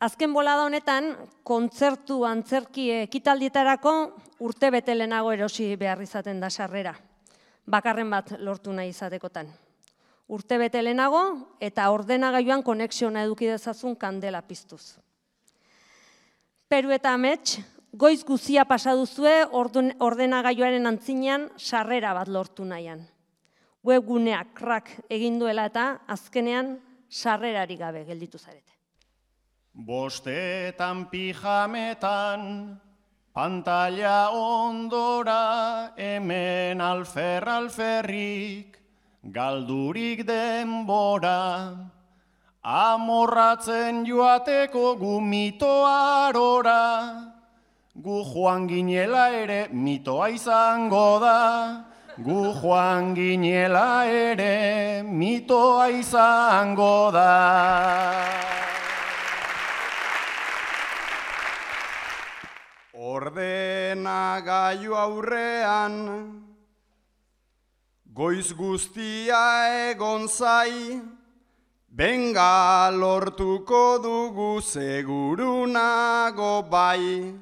Azken bolada honetan, kontzertu antzerki ekitaldietarako urtebete lehenago erosi behar izaten da sarrera, bakarren bat lortu nahi izatekotan. Urtebete lehenago eta ordenagailuan konexiona eduki dezazun kandela piztuz. Peru eta amets, goiz guzia pasa duzue ordenagailuaren antzinean sarrera bat lortu nahian. Webguneak crack egin duela eta azkenean sarrerarik gabe gelditu zarete. Bostetan pijametan, pantalla ondora, hemen alferrik, galdurik denbora, amorratzen joateko gu mito arora, gu joan ginela ere mitoa izango da, gu joan ginela ere mitoa izango da. Ordenagailu aurrean, goiz guztia egon zai, benga lortuko dugu seguru nago bai.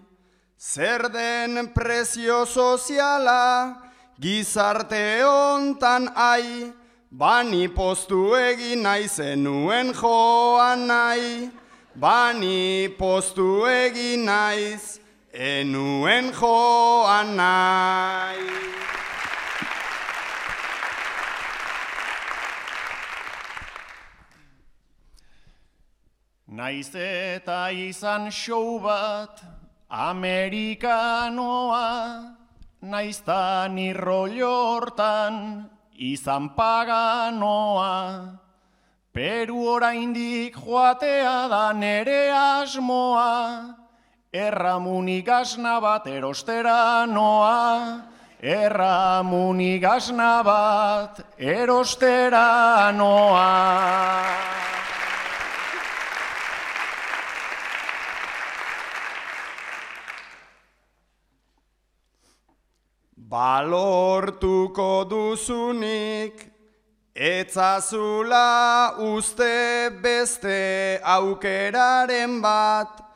Zer den prezio soziala, gizarte hontan ai, bani postu egin nahi zenuen joan nahi, bani postu egin naiz, enuen joan nahi. Naiz eta izan show bat, amerikanoa, naizta ni rollo hortan, izan paganoa. Peru oraindik joatea da nere asmoa, erramunik asna bat erostera noa, erramunik asna bat erostera noa. Balortuko duzunik, etzazula uste beste aukeraren bat,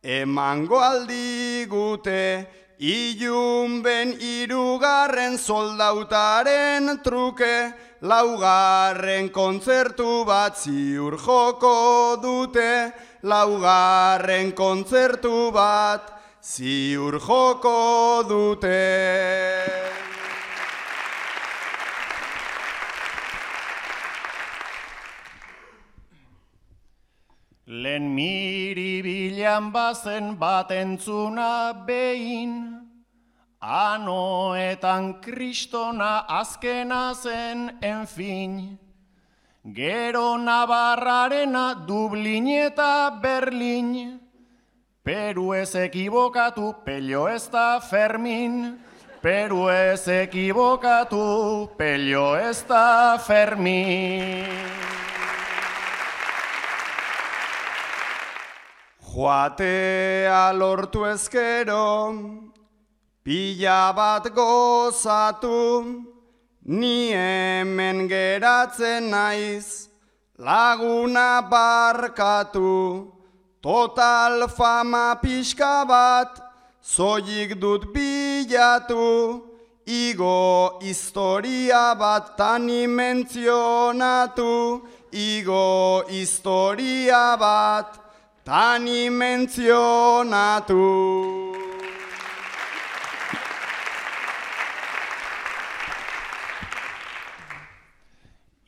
emango aldigute, ilunben hirugarren soldautaren truke, laugarren kontzertu bat ziur joko dute, laugarren kontzertu bat ziur joko dute. Lehen miribilan bazen bat entzuna behin, anoetan kristona azkena zen enfin. Gero Navarrarena Dublin eta Berlin, Peru ez ekibokatu, pello ez da Fermin, Peru ez ekibokatu, pello ez da Fermin. Joatea lortu ezkero, pila bat gozatu, ni hemen geratzen naiz, laguna barkatu, total fama pixka bat, zoik dut bilatu, igo historia bat tani mentzionatu, igo historia bat tani mentzionatu.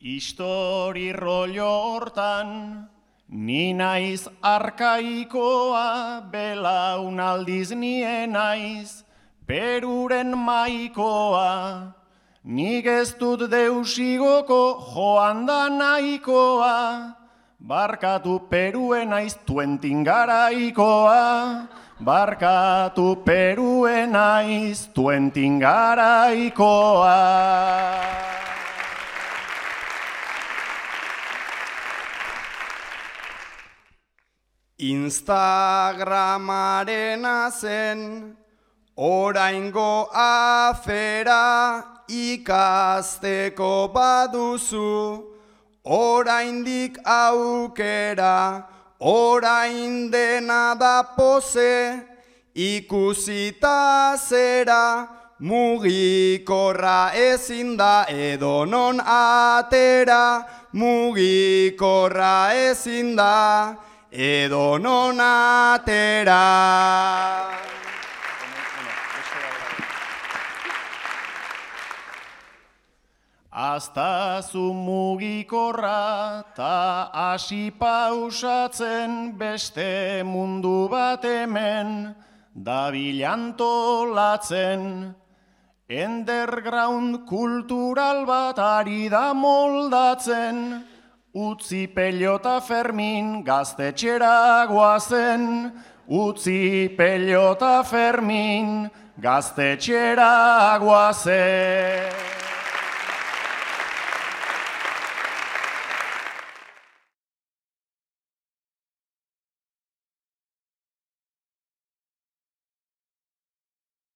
Histori rollo hortan, ni naiz arkaikoa, belaunaldiz nien naiz, Peruren maikoa. Nik ez dut deusigoko joan da nahikoa, barkatu Peruen naiz tuentin garaikoa, barkatu Peruen naiz tuentin garaikoa. Instagramarena zen, oraingo afera ikasteko baduzu, oraindik aukera, orain dena da pose, ikusita zera, mugikorra ezin da edonon atera, mugikorra ezin da edonon atera. Aztazu mugikorra ta hasi pausatzen beste mundu bat hemen dabilantolatzen. Underground kultural bat ari da moldatzen, utzi Pelota Fermin gaztetxera goazen, utzi Pelota Fermin gaztetxera goazen.